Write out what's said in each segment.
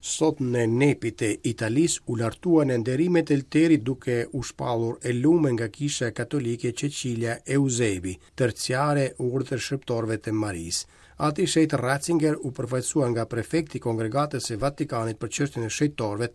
Sot në Nepi të Italisë u lartua në nderimet e Elterit duke u shpallur e lume nga Kisha Katolike Cecilia Eusebi, terciare e Urdhrit të Shërbëtorëve të Marisë. Ati i Shenjtë Ratzinger u përfaqësua nga prefekti i Kongregatës së Vatikanit për çështjen e shenjtorëve,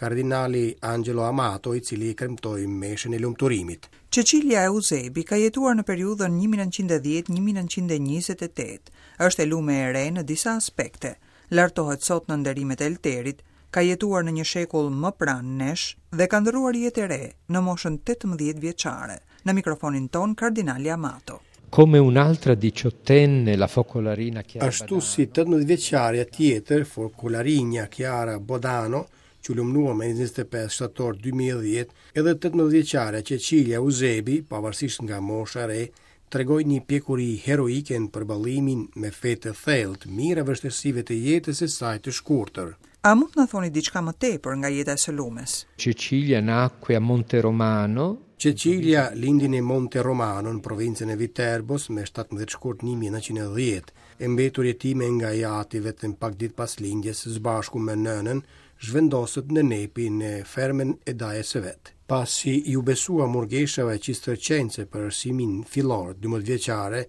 kardinali Angelo Amato, i cili i kremtoi meshën e lumturimit. Cecilia Eusebi ka jetuar në periudhën 1910 1928. Është e lume e re në disa aspekte. Lartohet sot në nderimet e Elterit, ka jetuar në një shekull më pranë nesh dhe ka ndërruar jetë e re në moshën 18 vjeçare. Në mikrofonin tonë kardinali Amato. Come un'altra diciottenne, la focolarina Chiara Ashtu si 18 vjeçarja tjetër, fokolarina Chiara Badano, që u lumnua më 25 shtator 2010, edhe 18 vjeçarja Cecilia Eusebi, pavarësisht nga mosha e re, tregoi një pjekuri heroike në përballimin me fe të thellë të mijëra vështirësive të jetës së saj të shkurtër. A mund të na thoni diçka më tepër nga jeta e së lumes? Cecilia nacque a Monteromano. Cecilia lindi në Monte Romano në provincën e Viterbos me 17 shkurt 1910, e mbetur jetime nga i ati vetëm pak ditë pas lindjes së bashku me nënën, zhvendoset në Nepi në fermën e dajës së vet. Pasi iu besua murgeshave cistercense për arsimin fillor 12 vjeçare,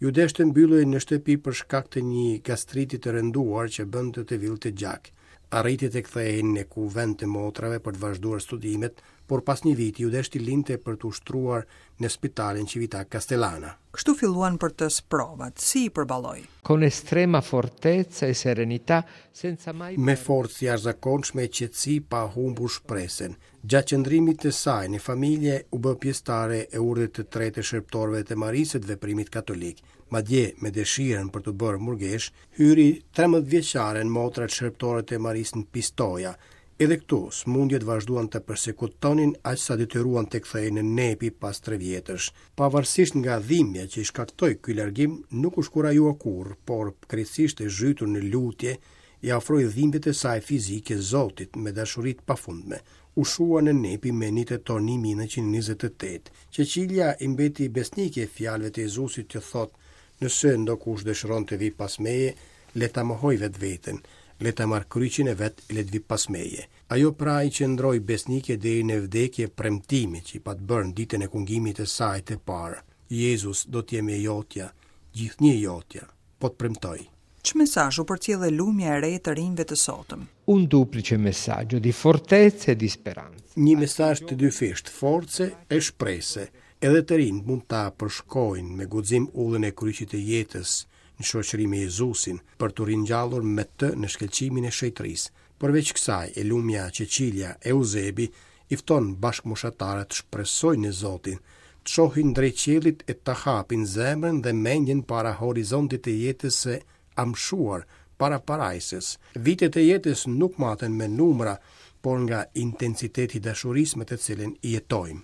iu desh të mbyllej në shtëpi për shkak të një gastriti të rënduar që bënte të villte gjak. Arriti të kthehej në kuvend të motrave për të vazhduar studimet, por pas një viti iu desh t'i linte për t'u shtruar në spitalin Civita Castellana. Kështu filluan për të sprovat, si i përballoi? Con estrema fortezza e serenità, senza mai Me forcë të jashtëzakonshme e qetësi pa humbur shpresën. Gjatë qëndrimit të saj në familje u bë pjesëtare e urdhrit të tretë të shërbëtorëve të Marisë të veprimit katolik. Madje, me dëshirën për t'u bërë murgesh, hyri 13 vjeçare në motrat shërbëtore të Marisë në Pistoia. Edhe këtu, sëmundjet vazhduan të persekutonin aq sa detyruan të kthehej në Nepi pas 3 vjetësh. Pavarësisht nga dhimbja që i shkaktoi ky largim, nuk u shkurajua kurrë, por krejtësisht e zhytur në lutje, i afroi dhimbjet e saj fizike Zotit me dashuri të pafundme. U shua në Nepi me 1 tetor 1928. Cecilia i mbeti besnike fjalëve të Jezusit që thotë: "Nëse ndokush dëshiron të vi pas meje, le ta mohoj vetveten, le ta marr kryqin e vet e le të vi pas meje." Ajo pra i qëndroi besnike deri në vdekje premtimit që i pat bërë në ditën e kungimit të saj të parë. Jezus do të jem e jotja, gjithnjë e jotja, po të premtoj. Ç'mesazh u përcjell e lumja e re të rinjve të sotëm? Un duplice messaggio di fortezza e di speranza. Një mesazh të dyfisht, force e shprese. Edhe të rinjt mund ta përshkojnë me guxim udhën e kryqit të jetës në shoqëri me Jezusin, për t'u ringjallur me të në shkëlqimin e shenjtërisë. Përveç kësaj, e lumja Cecilia Eusebi i fton bashkëmoshatarët të shpresojnë në Zotin, të shohin drejt qiellit e ta hapin zemrën dhe mendjen para horizontit të jetës së amshuar, para parajsës. Vitet e jetës nuk maten me numra, por nga intensiteti i dashurisë me të cilën i jetojmë.